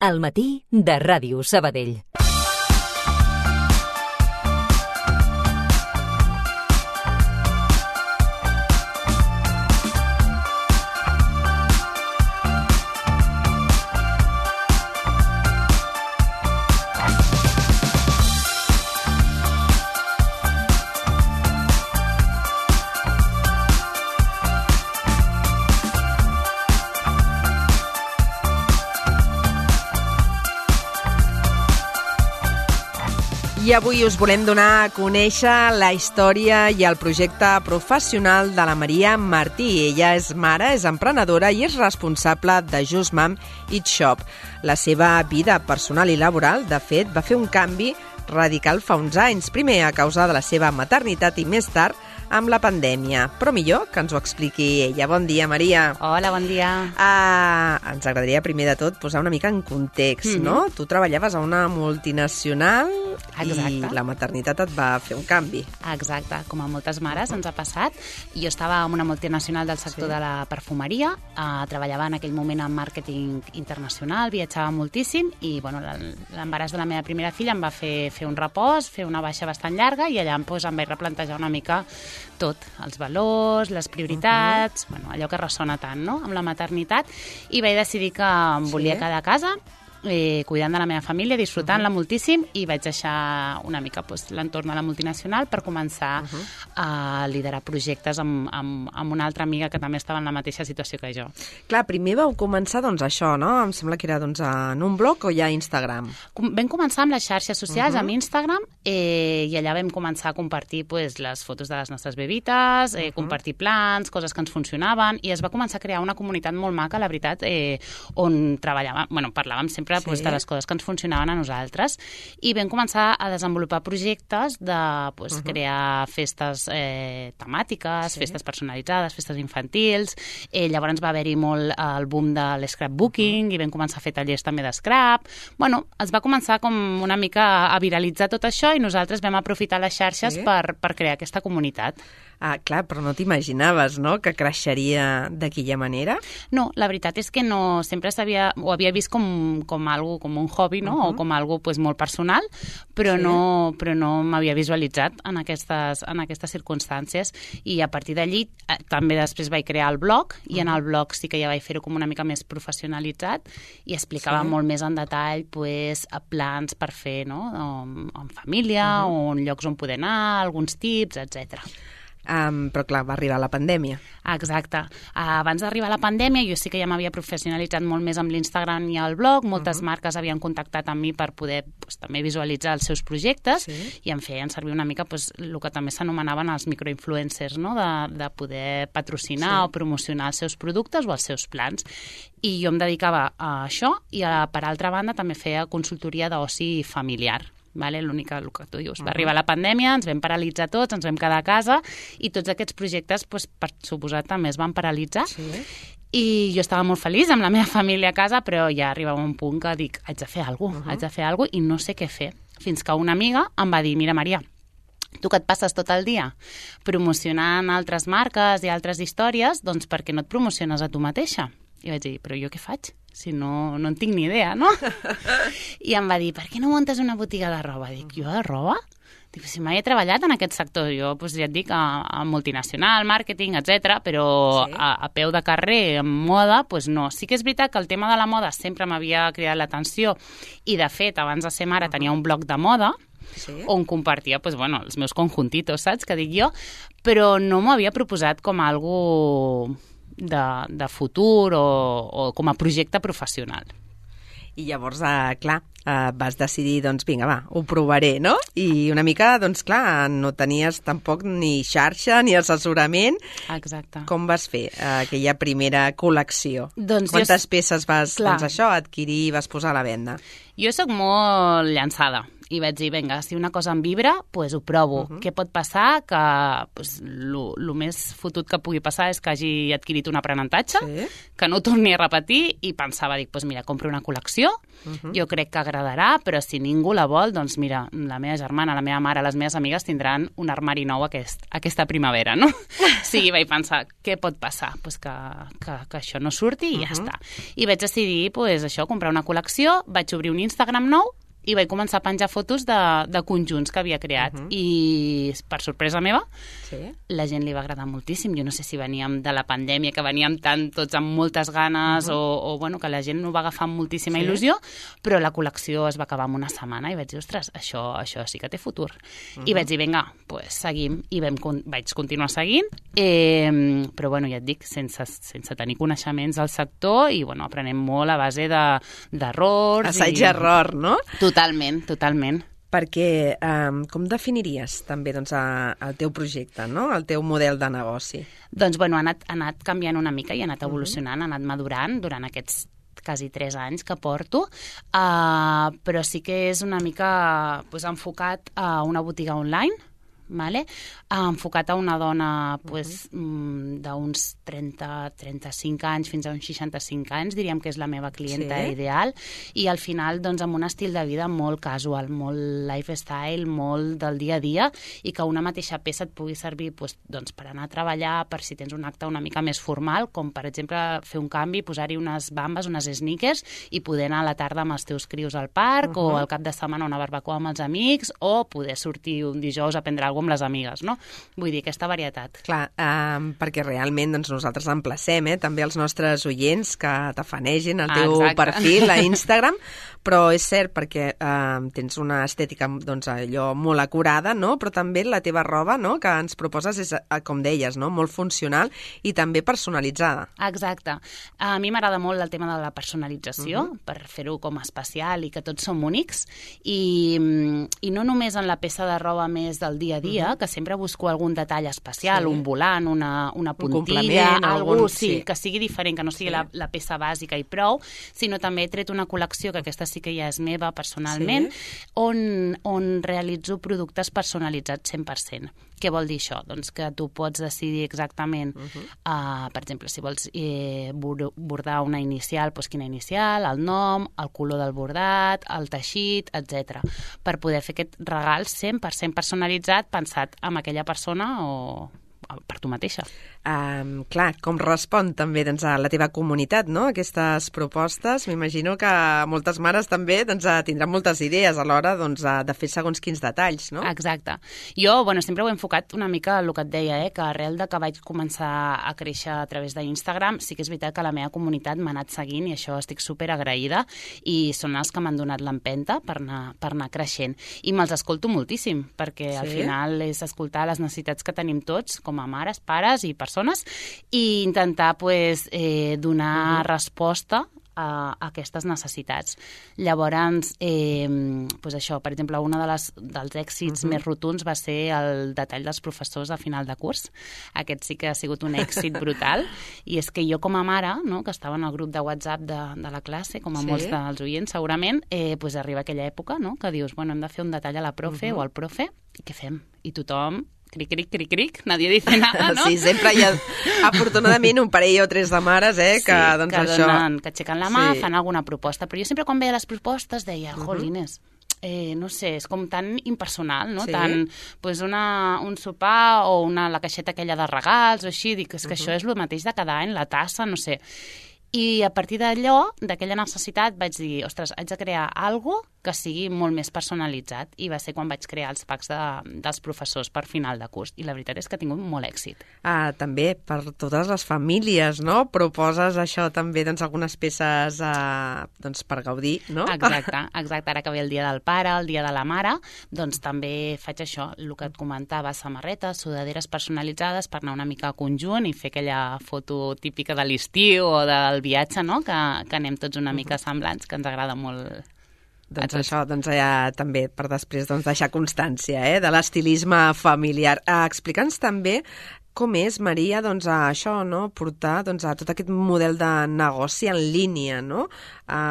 Al matí de Ràdio Sabadell. I avui us volem donar a conèixer la història i el projecte professional de la Maria Martí. Ella és mare, és emprenedora i és responsable de Just Mom Eat Shop. La seva vida personal i laboral, de fet, va fer un canvi radical fa uns anys, primer a causa de la seva maternitat i més tard amb la pandèmia. Però millor que ens ho expliqui ella. Bon dia, Maria. Hola, bon dia. Ens agradaria, primer de tot, posar una mica en context, no? Tu treballaves a una multinacional. Exacte. I la maternitat et va fer un canvi. Exacte, com a moltes mares ens ha passat. Jo estava en una multinacional del sector de la perfumeria, treballava en aquell moment en màrqueting internacional, viatjava moltíssim i l'embaràs de la meva primera filla em va fer un repòs, fer una baixa bastant llarga i allà em vaig replantejar una mica tot, els valors, les prioritats, allò que ressona tant, no?, amb la maternitat, i vaig decidir que em volia quedar a casa, cuidant de la meva família, disfrutant-la moltíssim, i vaig deixar una mica l'entorn de la multinacional per començar a liderar projectes amb una altra amiga que també estava en la mateixa situació que jo. Clar, primer vau començar això, no? Em sembla que era en un blog o ja a Instagram? Vam començar amb les xarxes socials, amb Instagram, i allà vam començar a compartir les fotos de les nostres bebites, compartir plans, coses que ens funcionaven, i es va començar a crear una comunitat molt maca, la veritat, on parlàvem sempre de les coses que ens funcionaven a nosaltres, i vam començar a desenvolupar projectes de crear festes temàtiques, festes personalitzades, festes infantils. Llavors va haver-hi molt el boom de l'scrapbooking i vam començar a fer tallers també d'scrap. Es va començar com una mica a viralitzar tot això i nosaltres vam aprofitar les xarxes per crear aquesta comunitat. Clar, però no t'imaginaves, no?, que creixeria d'aquella manera? No, la veritat és que no, sempre ho havia vist com un hobby, no?, o com algo molt personal, però no m'havia visualitzat en aquestes circumstàncies, i a partir d'allí també després vaig crear el blog, i en el blog sí que ja vaig fer-ho com una mica més professionalitzat i explicava molt més en detall plans per fer, no?, en família, o en llocs on poder anar, alguns tips, etcètera. Però clar, va arribar la pandèmia. Exacte. Abans d'arribar la pandèmia jo sí que ja m'havia professionalitzat molt més amb l'Instagram i el blog, moltes marques havien contactat amb mi per poder també visualitzar els seus projectes i em feien servir una mica el que també s'anomenaven els microinfluencers, no?, de poder patrocinar o promocionar els seus productes o els seus plans. I jo em dedicava a això i per altra banda també feia consultoria d'oci familiar. L'únic el que tu dius, va arribar la pandèmia, ens vam paralitzar tots, ens vam quedar a casa i tots aquests projectes, per suposat, també es van paralitzar. I jo estava molt feliç amb la meva família a casa, però ja arribava un punt que dic, haig de fer alguna cosa i no sé què fer. Fins que una amiga em va dir, mira, Maria, tu que et passes tot el dia promocionant altres marques i altres històries, doncs per què no et promociones a tu mateixa? I vaig dir, però jo què faig? Si no en tinc ni idea, no? I em va dir, per què no muntes una botiga de roba? Dic, jo de roba? Dic, si mai he treballat en aquest sector, jo ja et dic, a multinacional, màrqueting, etc., però a peu de carrer, en moda, no. Sí que és veritat que el tema de la moda sempre m'havia cridat l'atenció i, de fet, abans de ser mare tenia un blog de moda, on compartia els meus conjuntitos, saps, que dic jo, però no m'ho havia proposat com algo de futur o com a projecte professional. I llavors, clar, vas decidir, vinga, va, ho provaré, no? I una mica, clar, no tenies tampoc ni xarxa ni assessorament. Exacte. Com vas fer aquella primera col·lecció? Quantes peces vas adquirir i vas posar a la venda? Jo soc molt llançada. I vaig dir, vinga, si una cosa em vibra, doncs ho provo. Què pot passar? Que el més fotut que pugui passar és que hagi adquirit un aprenentatge, que no ho torni a repetir, i pensava, dic, mira, compro una col·lecció, jo crec que agradarà, però si ningú la vol, doncs mira, la meva germana, la meva mare, les meves amigues tindran un armari nou aquesta primavera, no? Sí, vaig pensar, què pot passar? Pues que això no surti i ja està. I vaig decidir, pues, això, comprar una col·lecció, vaig obrir un Instagram nou i vaig començar a penjar fotos de conjunts que havia creat. I, per sorpresa meva, la gent li va agradar moltíssim. Jo no sé si veníem de la pandèmia, que veníem tots amb moltes ganes, o bueno, que la gent ho va agafar amb moltíssima il·lusió, però la col·lecció es va acabar en una setmana i vaig dir, ostres, això sí que té futur. I vaig dir, vinga, pues seguim, i vaig continuar seguint, però bueno, ja et dic, sense tenir coneixements del sector, i bueno, aprenem molt a base d'errors. Assaig-error, no? Totalment. Perquè com definiries també doncs, el teu projecte, no? El teu model de negoci? Doncs bueno, ha anat canviant una mica i ha anat evolucionant, ha anat madurant durant aquests quasi 3 anys que porto, però sí que és una mica enfocat a una botiga online, vale? Enfocat a una dona d'uns 30-35 anys fins a uns 65 anys, diríem que és la meva clienta ideal, i al final doncs, amb un estil de vida molt casual, molt lifestyle, molt del dia a dia, i que una mateixa peça et pugui servir doncs, per anar a treballar, per si tens un acte una mica més formal, com per exemple fer un canvi, posar-hi unes bambes, unes sneakers, i poder anar a la tarda amb els teus crios al parc, o al cap de setmana a una barbacoa amb els amics, o poder sortir un dijous a prendre alguna cosa amb les amigues, no? Vull dir, aquesta varietat. Clar, perquè realment doncs, nosaltres emplacem també els nostres oients que tafanegin el teu perfil a Instagram, però és cert perquè tens una estètica doncs, allò molt acurada, no? Però també la teva roba, no? Que ens proposes és, com deies, no? Molt funcional i també personalitzada. Exacte. A mi m'agrada molt el tema de la personalització, per fer-ho com especial i que tots som únics, i no només en la peça de roba més del dia a dia, que sempre busco algun detall especial, un volant, una puntilla, algú que sigui diferent, que no sigui la peça bàsica i prou, sinó també he tret una col·lecció, que aquesta sí que ja és meva personalment, on realitzo productes personalitzats 100%. Què vol dir això? Doncs que tu pots decidir exactament, per exemple, si vols bordar una inicial, doncs quina inicial, el nom, el color del bordat, el teixit, etc. Per poder fer aquest regal 100% personalitzat, pensat en aquella persona o per tu mateixa. Clar, com respon també doncs, a la teva comunitat, no? Aquestes propostes, m'imagino que moltes mares també doncs, tindran moltes idees a l'hora doncs, de fer segons quins detalls, no? Exacte. Jo, sempre ho he enfocat una mica el que et deia, que arrel de que vaig començar a créixer a través d'Instagram, sí que és veritat que la meva comunitat m'ha anat seguint i això estic super agraïda, i són els que m'han donat l'empenta per anar creixent. I me'ls escolto moltíssim, perquè al final és escoltar les necessitats que tenim tots, com a mares, pares i persones, i intentar donar resposta a aquestes necessitats. Llavors, això, per exemple, un dels èxits més rotunds va ser el detall dels professors a final de curs. Aquest sí que ha sigut un èxit brutal, i és que jo com a mare, no, que estava en el grup de WhatsApp de la classe, com a molts dels oients segurament, arriba aquella època, no, que dius, hem de fer un detall a la profe o al profe, i què fem? I tothom cric, cric, cric, cric, nadie dice nada, no? Sí, sempre hi ha, afortunadament, un parell o 3 de mares, que doncs que això... que aixequen la mà, fan alguna proposta. Però jo sempre quan veia les propostes deia, jolines, no sé, és com tan impersonal, no? Tant, un sopar o la caixeta aquella de regals o així, dic, és que això és el mateix de cada any, la tassa, no sé. I a partir d'allò, d'aquella necessitat, vaig dir, ostres, haig de crear alguna cosa que sigui molt més personalitzat, i va ser quan vaig crear els packs dels professors per final de curs, i la veritat és que ha tingut molt èxit. També per totes les famílies, no? Proposes això també, doncs, algunes peces per gaudir, no? Exacte. Ara que ve el dia del pare, el dia de la mare, doncs també faig això, el que et comentava, samarretes, sudaderes personalitzades per anar una mica a conjunt i fer aquella foto típica de l'estiu o del viatge, no? Que anem tots una mica semblants, que ens agrada molt. Doncs això, també per després deixar constància de l'estilisme familiar. Explica'ns també com és, Maria, això, no? Portar a tot aquest model de negoci en línia, no?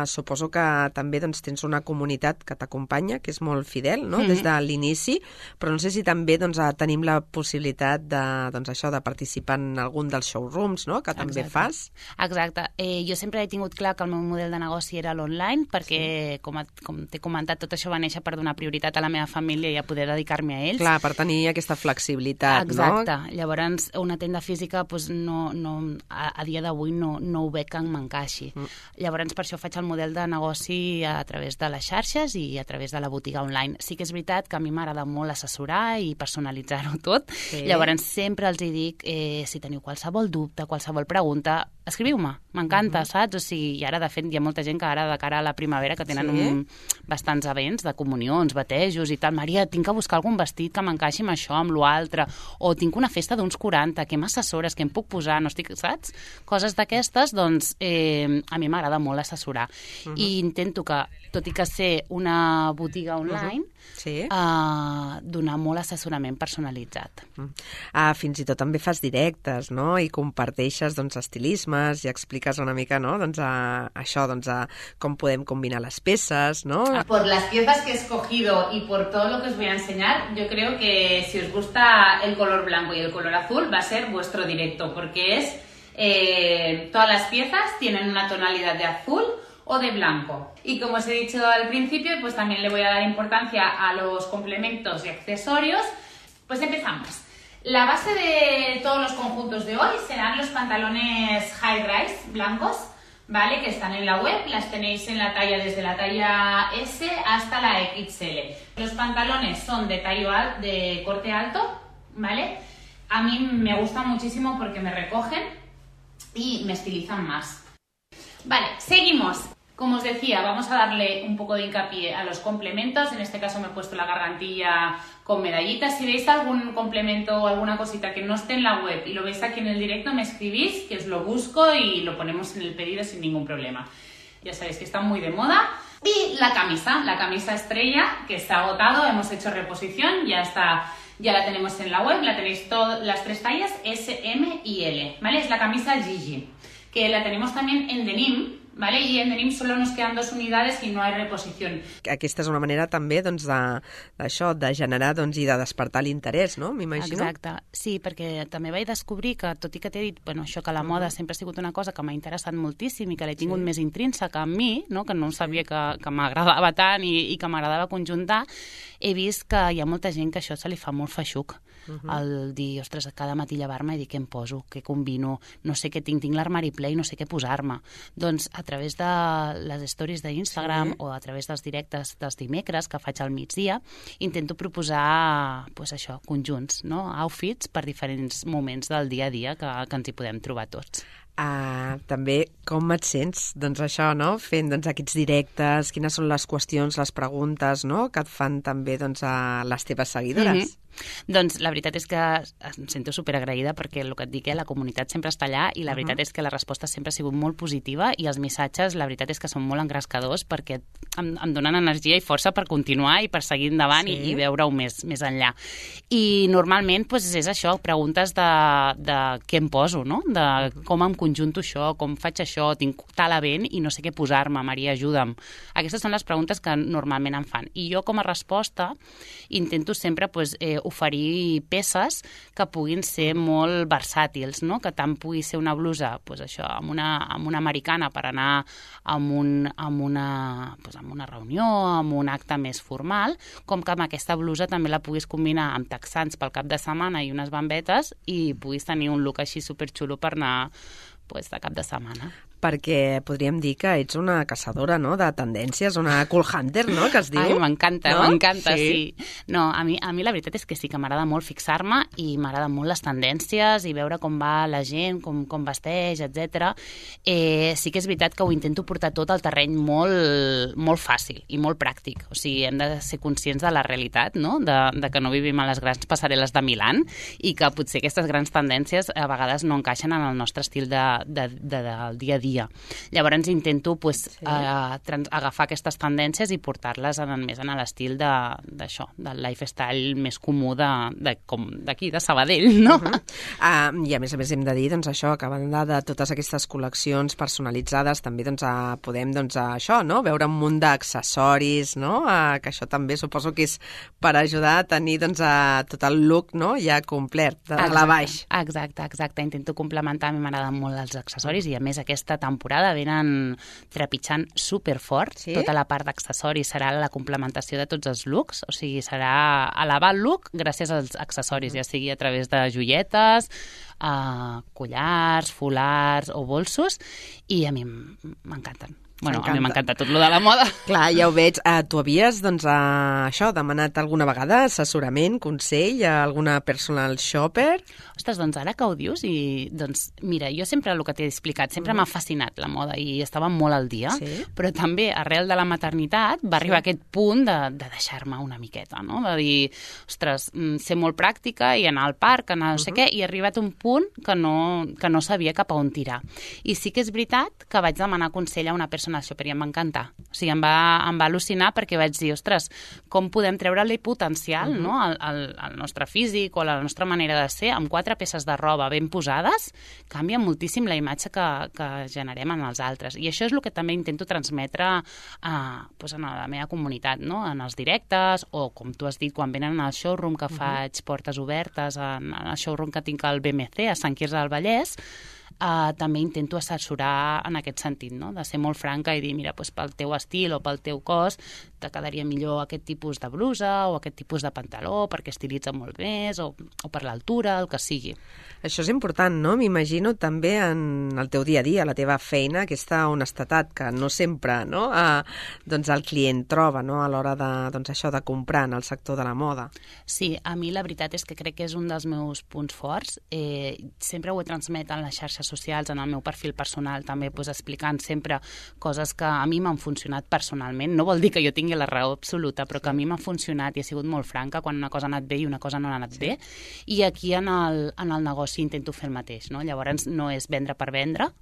suposo que també doncs, tens una comunitat que t'acompanya, que és molt fidel, no? Des de l'inici, però no sé si també doncs, tenim la possibilitat de, doncs, això, de participar en algun dels showrooms, no? Que també fas. Exacte. Jo sempre he tingut clar que el meu model de negoci era l'online, perquè, com t'he comentat, tot això va néixer per donar prioritat a la meva família i a poder dedicar-me a ells. Clar, per tenir aquesta flexibilitat, exacte. No? Llavors, una tenda física doncs, a dia d'avui no ho veig que m'encaixi. Llavors, per això faig el model de negoci a través de les xarxes i a través de la botiga online. Sí que és veritat que a mi m'agrada molt assessorar i personalitzar-ho tot. Sí. Llavors, sempre els hi dic, si teniu qualsevol dubte, qualsevol pregunta, escriviu-me, m'encanta, saps? O sigui, i ara, de fet, hi ha molta gent que ara, de cara a la primavera, que tenen bastants events de comunions, batejos i tal. Maria, tinc que buscar algun vestit que m'encaixi amb això, amb l'altre, o tinc una festa d'uns 40, què m'assessores, què em puc posar, no estic, saps? Coses d'aquestes, doncs, a mi m'agrada molt assessorar. I intento que, tot i que ser una botiga online, donar molt assessorament personalitzat. Fins i tot també fas directes, no? I comparteixes, doncs, estilismes i expliques una mica, no? Doncs, això, doncs, com podem combinar les peces, no? Por las piezas que he escogido y por todo lo que os voy a enseñar, yo creo que si os gusta el color blanco y el color azul va a ser vuestro directo, porque todas las piezas tienen una tonalidad de azul o de blanco. Y como os he dicho al principio, pues también le voy a dar importancia a los complementos y accesorios. Pues empezamos. La base de todos los conjuntos de hoy serán los pantalones high rise blancos, ¿vale? Que están en la web, las tenéis en la talla desde la talla S hasta la XL. Los pantalones son de corte alto, ¿vale? A mí me gustan muchísimo porque me recogen y me estilizan más. Vale, seguimos. Como os decía, vamos a darle un poco de hincapié a los complementos. En este caso me he puesto la gargantilla con medallitas. Si veis algún complemento o alguna cosita que no esté en la web y lo veis aquí en el directo, me escribís, que os lo busco y lo ponemos en el pedido sin ningún problema. Ya sabéis que está muy de moda. Y la camisa estrella, que está agotado, hemos hecho reposición, ya la tenemos en la web, la tenéis las 3 tallas S, M y L, ¿vale? Es la camisa Gigi, que la tenemos también en denim, ¿vale? I en denim solo nos quedan 2 unidades y no hay reposición. Aquesta és una manera també doncs, d'això, de generar doncs, i de despertar l'interès, no? M'imagino. Exacte, sí, perquè també vaig descobrir que, tot i que t'he dit això, que la moda sempre ha sigut una cosa que m'ha interessat moltíssim i que l'he tingut més intrínseca en mi, no? Que no sabia que m'agradava tant i que m'agradava conjuntar, he vist que hi ha molta gent que això se li fa molt feixuc. El dir, ostres, cada matí llevar-me i dir què em poso, què combino, no sé què tinc l'armari ple i no sé què posar-me. Doncs a través de les stories d'Instagram o a través dels directes dels dimecres que faig al migdia, intento proposar això, conjunts, no? Outfits per diferents moments del dia a dia que ens hi podem trobar tots. També com et sents, doncs això, no? Fent doncs, aquests directes, quines són les qüestions, les preguntes, no? Que et fan també doncs, a les teves seguidores. Doncs la veritat és que em sento superagraïda perquè el que et dic, la comunitat sempre està allà i la veritat és que la resposta sempre ha sigut molt positiva i els missatges, la veritat és que són molt engrescadors perquè em donen energia i força per continuar i per seguir endavant i veure-ho més enllà. I normalment és això, preguntes de què em poso, no? De com em conjunto això, com faig això, tinc tal event i no sé què posar-me, Maria, ajuda'm. Aquestes són les preguntes que normalment em fan. I jo com a resposta intento sempre oferir peces que puguin ser molt versàtils, no? Que tant pugui ser una blusa amb una americana per anar amb una reunió, amb un acte més formal, com que amb aquesta blusa també la puguis combinar amb texans pel cap de setmana i unes bambetes i puguis tenir un look així superxulo per anar de cap de setmana. Perquè podríem dir que ets una caçadora, no?, de tendències, una cool hunter, no?, que es diu. Ai, m'encanta, sí. No, a mi la veritat és que sí que m'agrada molt fixar-me i m'agrada molt les tendències i veure com va la gent, com vesteix, etc. Sí que és veritat que ho intento portar tot al terreny molt fàcil i molt pràctic. O sigui, hem de ser conscients de la realitat, no?, de que no vivim a les grans passarel·les de Milán i que potser aquestes grans tendències a vegades no encaixen en el nostre estil del dia a dia dia. Llavors intento agafar aquestes tendències i portar-les més en l'estil d'això, del lifestyle més comú d'aquí, de Sabadell, no? I a més hem de dir, doncs això, que a banda de totes aquestes col·leccions personalitzades, també podem això, no? Veure un munt d'accessoris, no? Que això també suposo que és per ajudar a tenir tot el look, no? Ja complet, de la baix. Exacte. Intento complementar, a mi m'agraden molt els accessoris i a més aquesta temporada venen trepitjant superfort. Sí? Tota la part d'accessoris serà la complementació de tots els looks, o sigui, serà elevar el look gràcies als accessoris, ja sigui a través de joietes, collars, folars o bolsos, i a mi m'encanten. Bueno, a mi m'encanta tot lo de la moda. Clar, ja ho veig. Tu havies, demanat alguna vegada assessorament, consell a alguna personal shopper? Ostres, ara que ho dius, mira, jo sempre el que t'he explicat, sempre m'ha fascinat la moda i estava molt al dia, però també arrel de la maternitat va arribar aquest punt de deixar-me una miqueta, no? De dir, ostres, ser molt pràctica i anar al parc, anar no sé què, i he arribat a un punt que no sabia cap a on tirar. I sí que és veritat que vaig demanar consell a una persona shopper i em va encantar. O sigui, em va al·lucinar perquè vaig dir, ostres, com podem treure-li potencial no? al nostre físic o a la nostra manera de ser amb 4 peces de roba ben posades, canvia moltíssim la imatge que generem en els altres. I això és el que també intento transmetre en la meva comunitat, no? En els directes o, com tu has dit, quan venen al showroom que faig portes obertes, en el showroom que tinc al BMC, a Sant Quirze del Vallès, també intento assessorar en aquest sentit, no? De ser molt franca i dir, mira, pel teu estil o pel teu cos te quedaria millor aquest tipus de blusa o aquest tipus de pantaló perquè estilitza molt més o per l'altura, el que sigui. Això és important, no? M'imagino també en el teu dia a dia, la teva feina, aquesta honestedat que no sempre el client troba a l'hora de comprar en el sector de la moda. Sí, a mi la veritat és que crec que és un dels meus punts forts. Sempre ho he transmet en les xarxes socials, en el meu perfil personal, també explicant sempre coses que a mi m'han funcionat personalment. No vol dir que jo tingui la raó absoluta, però que a mi m'ha funcionat i he sigut molt franca quan una cosa ha anat bé i una cosa no ha anat bé. I aquí en el negoci intento fer el mateix, no? Llavors no és vendre per vendre,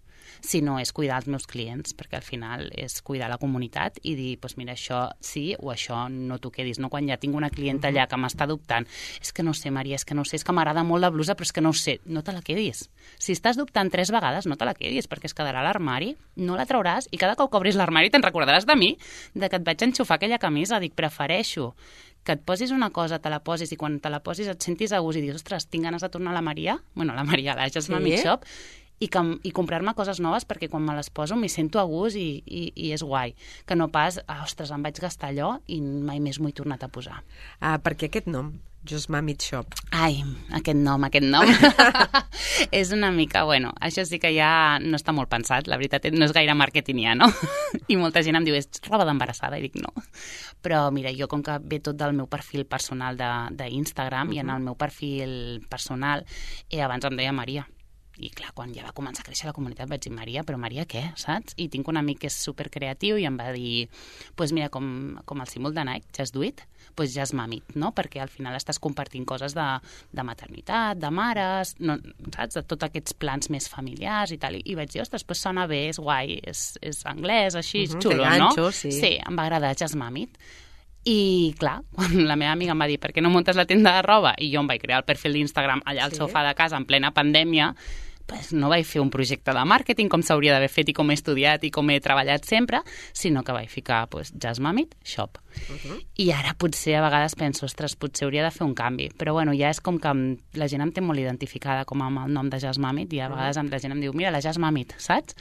sinó és cuidar els meus clients, perquè al final és cuidar la comunitat i dir, mira, això sí o això no t'ho quedis, no? Quan ja tinc una clienta allà que m'està dubtant, és que no sé, Maria, és que m'agrada molt la blusa, però és que no ho sé, no te la quedis. Si estàs dubtant 3 vegades, no te la quedis, perquè es quedarà a l'armari, no la trauràs, i cada cop que obris l'armari te'n recordaràs de mi, de que et vaig enxufar aquella camisa. Dic, prefereixo que et posis una cosa, te la posis, i quan te la posis et sentis a gust i dius, ostres, tinc ganes de tornar a la Maria, la Jasmine Meat Shop, i comprar-me coses noves perquè quan me les poso m'hi sento a gust i és guai. Que no pas, ostres, em vaig gastar allò i mai més m'ho he tornat a posar. Perquè aquest nom, Jasmine Meat Shop. Ai, aquest nom. És una mica, això sí que ja no està molt pensat, la veritat no és gaire marketingià, no? I molta gent em diu, és roba d'embarassada, i dic no. Però mira, jo com que ve tot del meu perfil personal d'Instagram i en el meu perfil personal, abans em deia Maria. I clar, quan ja va començar a créixer la comunitat vaig dir, Maria, però Maria què, saps? I tinc un amic que és supercreatiu i em va dir, mira, com el símbol de Nike, Just Do It, Jasmine Meat, no? Perquè al final estàs compartint coses de maternitat, de mares, no, saps? De tots aquests plans més familiars i tal. I vaig dir, ostres, sona bé, és guai, és anglès, així, és xulo, ganxo, no? Sí, em va agradar Jasmine Meat. I clar, quan la meva amiga em va dir per què no muntes la tenda de roba i jo em vaig crear el perfil d'Instagram allà al sofà de casa en plena pandèmia, no vaig fer un projecte de màrqueting com s'hauria d'haver fet i com he estudiat i com he treballat sempre, sinó que vaig ficar Jasmine Meat Shop. I ara potser a vegades penso, ostres, potser hauria de fer un canvi, però ja és com que la gent em té molt identificada com amb el nom de Jasmine Meat i a vegades la gent em diu, mira, la Jasmine Meat, saps?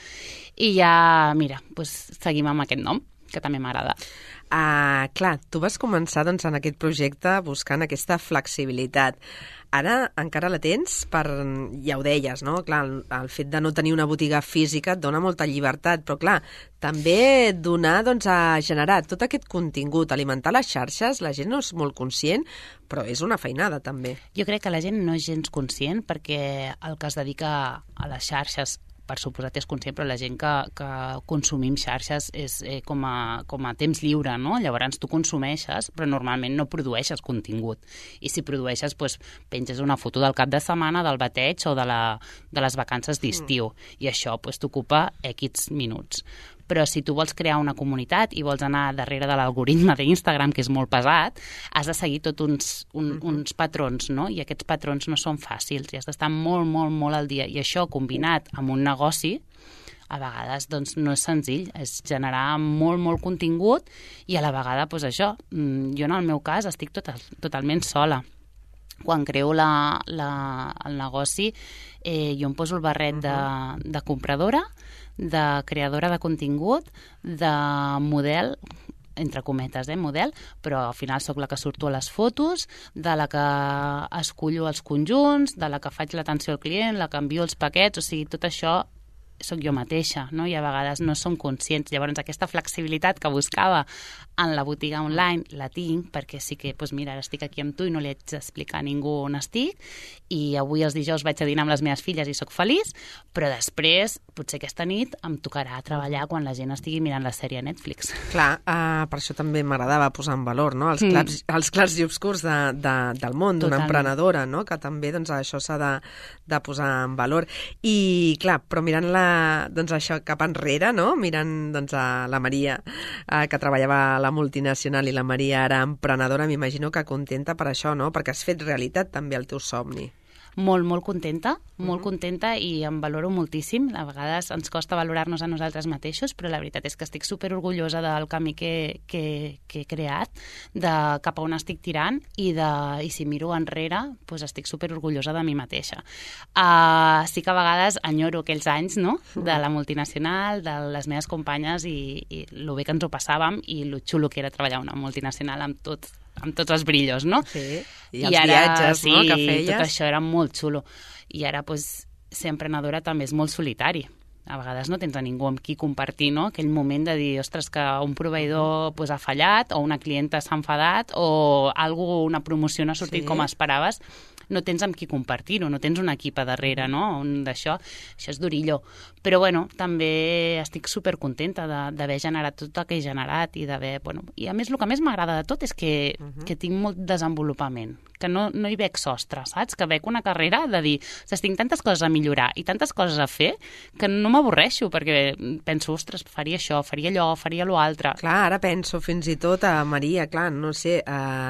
I ja, mira, seguim amb aquest nom, que també m'agrada. Clar, tu vas començar en aquest projecte buscant aquesta flexibilitat. Ara encara la tens ja ho deies, no? Clar, el fet de no tenir una botiga física et dona molta llibertat, però clar, també donar a generar tot aquest contingut, alimentar les xarxes, la gent no és molt conscient, però és una feinada també. Jo crec que la gent no és gens conscient perquè el que es dedica a les xarxes per suposat és conscient, però la gent que consumim xarxes és com a temps lliure, no? Llavors tu consumeixes, però normalment no produeixes contingut. I si produeixes, doncs, penges una foto del cap de setmana, del bateig o de les vacances d'estiu. I això doncs, t'ocupa X minuts. Però si tu vols crear una comunitat i vols anar darrere de l'algoritme d'Instagram, que és molt pesat, has de seguir tots uns patrons, no? I aquests patrons no són fàcils i has d'estar molt, molt, molt al dia. I això, combinat amb un negoci, a vegades doncs, no és senzill, és generar molt, molt contingut i a la vegada, doncs això, jo en el meu cas estic totalment sola. Quan creo el negoci, jo em poso el barret de compradora, de creadora de contingut, de model, entre cometes, model, però al final sóc la que surto a les fotos, de la que escullo els conjunts, de la que faig l'atenció al client, la que envio els paquets, o sigui, tot això sóc jo mateixa, no? I a vegades no som conscients. Llavors, aquesta flexibilitat que buscava en la botiga online la tinc, perquè sí que, doncs mira, ara estic aquí amb tu i no li haig d'explicar a ningú on estic, i avui els dijous vaig a dinar amb les meves filles i sóc feliç, però després, potser aquesta nit, em tocarà treballar quan la gent estigui mirant la sèrie a Netflix. Clar, per això també m'agradava posar en valor, no? Els clars i obscurs del món d'una emprenedora, no? Que també doncs, això s'ha de posar en valor. I, clar, però mirant-la doncs, això cap enrere, no? Mirant doncs, a la Maria, que treballava a la multinacional, i la Maria ara emprenedora, m'imagino que contenta per això, no? Perquè has fet realitat també el teu somni. Molt, molt contenta i em valoro moltíssim. A vegades ens costa valorar-nos a nosaltres mateixos, però la veritat és que estic superorgullosa del camí que he creat, de cap a on estic tirant i si miro enrere, doncs estic superorgullosa de mi mateixa. Sí que a vegades enyoro aquells anys, no?, de la multinacional, de les meves companyes i lo bé que ens ho passàvem i lo xulo que era treballar una multinacional amb tots els brillos, no? Sí, i els viatges, no?, que feies. Tot això era molt xulo. I ara, doncs, ser emprenedora també és molt solitari. A vegades no tens a ningú amb qui compartir, no?, aquell moment de dir, ostres, que un proveïdor ha fallat, o una clienta s'ha enfadat, o una promoció no ha sortit com esperaves. No tens amb qui compartir-ho, no tens un equip a darrere, no?, això és durillo. Però, bueno, també estic supercontenta d'haver generat tot el que he generat i d'haver, i a més el que més m'agrada de tot és que tinc molt desenvolupament, que no hi veig sostre, saps? Que veig una carrera de dir, tinc tantes coses a millorar i tantes coses a fer que no m'avorreixo, perquè penso, ostres, faria això, faria allò, faria l'altre. Clar, ara penso fins i tot a Maria, clar, no sé,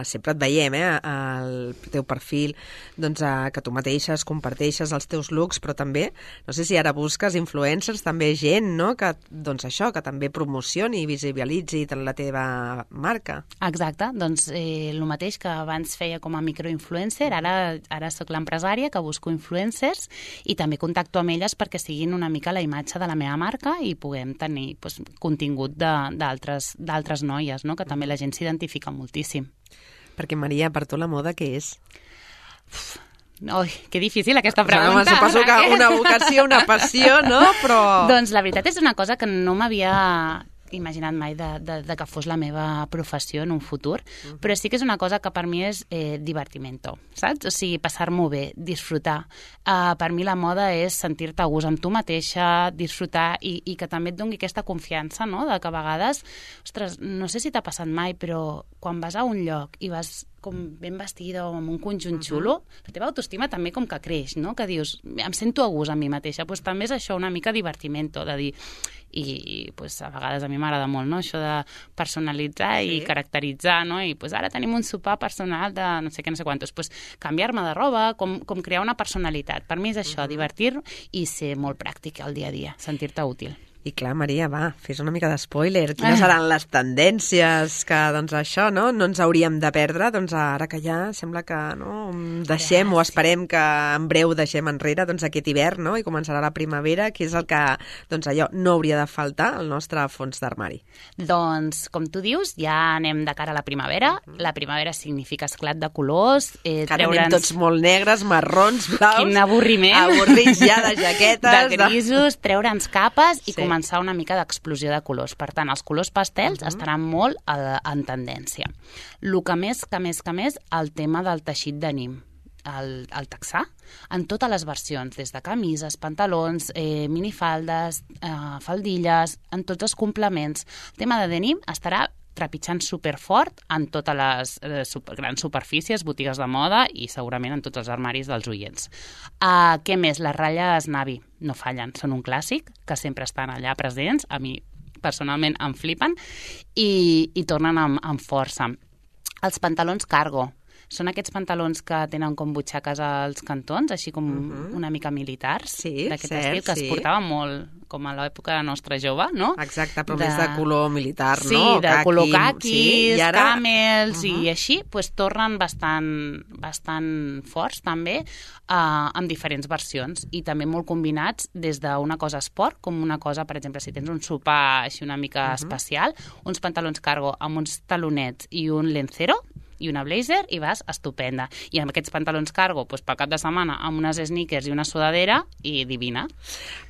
sempre et veiem, al teu perfil, doncs, que tu mateixes comparteixes els teus looks, però també, no sé si ara busques influencers, també gent, no?, que, doncs això, que també promocioni i visibilitzi la teva marca. Exacte, doncs el mateix que abans feia com a microinfluencer, ara sóc l'empresària que busco influencers i també contacto amb elles perquè siguin una mica la imatge de la meva marca i puguem tenir contingut d'altres noies, no?, que també la gent s'identifica moltíssim. Perquè, Maria, per tu la moda què és? Ui, que difícil aquesta pregunta. Suposo que una vocació, una passió, no? Però... Doncs la veritat és una cosa que no m'havia imaginat mai de que fos la meva professió en un futur, però sí que és una cosa que per mi és divertimento, saps? O sigui, passar-m'ho bé, disfrutar. Per mi la moda és sentir-te a gust amb tu mateixa, disfrutar i que també et doni aquesta confiança, no?, de que a vegades, ostres, no sé si t'ha passat mai, però quan vas a un lloc i vas com ben vestida o amb un conjunt xulo, la teva autoestima també com que creix, no?, que dius, em sento a gust amb mi mateixa, doncs també és això, una mica divertimento, de dir, i pues, a vegades a mi m'agrada molt, no?, això de personalitzar i caracteritzar, no?, i pues, ara tenim un sopar personal de no sé què, no sé quantos, pues, canviar-me de roba, com crear una personalitat. Per mi és això, divertir i ser molt pràctic al dia a dia, sentir-te útil. I clar, Maria, va, fes una mica d'espoiler. Quines seran les tendències que, doncs, això, no ens hauríem de perdre? Doncs ara que ja sembla que deixem o esperem que en breu deixem enrere aquest hivern, no?, i començarà la primavera, que és el que, doncs, allò no hauria de faltar al nostre fons d'armari. Doncs, com tu dius, ja anem de cara a la primavera. La primavera significa esclat de colors. Que anem tots molt negres, marrons, blaus. Quin avorriment. Avorrits ja de jaquetes. De grisos, treure'ns capes i començar una mica d'explosió de colors. Per tant, els colors pastels estaran molt en tendència. El que més, el tema del teixit d'ànim. el texà en totes les versions, des de camises, pantalons, minifaldes, faldilles, en tots els complements. El tema de denim estarà trepitjant superfort en totes les grans superfícies, botigues de moda i segurament en tots els armaris dels oients. Què més? Les ratlles Navy no fallen, són un clàssic, que sempre estan allà presents, a mi personalment em flipen i tornen amb força. Els pantalons cargo són aquests pantalons que tenen com butxaques als cantons, així com una mica militars, d'aquest estil, que es portava molt com a l'època nostra jove, no? Exacte, però més de color militar, no? Sí, de color caquis, i ara... camels i així, doncs tornen bastant forts també, amb diferents versions i també molt combinats des d'una cosa esport com una cosa, per exemple, si tens un sopar així una mica especial, uns pantalons cargo amb uns talonets i un lencero i una blazer i vas estupenda. I amb aquests pantalons cargo, doncs, pel cap de setmana, amb unes sneakers i una sudadera i divina.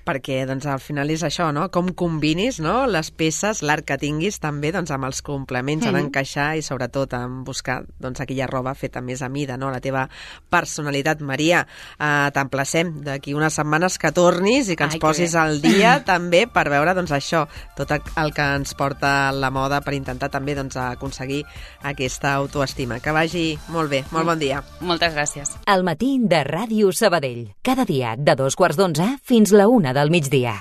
Perquè doncs, al final és això, no? Com combinis, no? Les peces, l'art que tinguis també doncs, amb els complements, en encaixar i sobretot en buscar doncs, aquella roba feta més a mida, no? La teva personalitat. Maria, t'emplacem d'aquí unes setmanes que tornis i que ens posis al dia també per veure doncs, això, tot el que ens porta la moda per intentar també doncs, aconseguir aquesta autoestima. Que vagi molt bé. Molt bon dia. Moltes gràcies. Al matí de Ràdio Sabadell. Cada dia de 2:15 fins la 1 del migdia.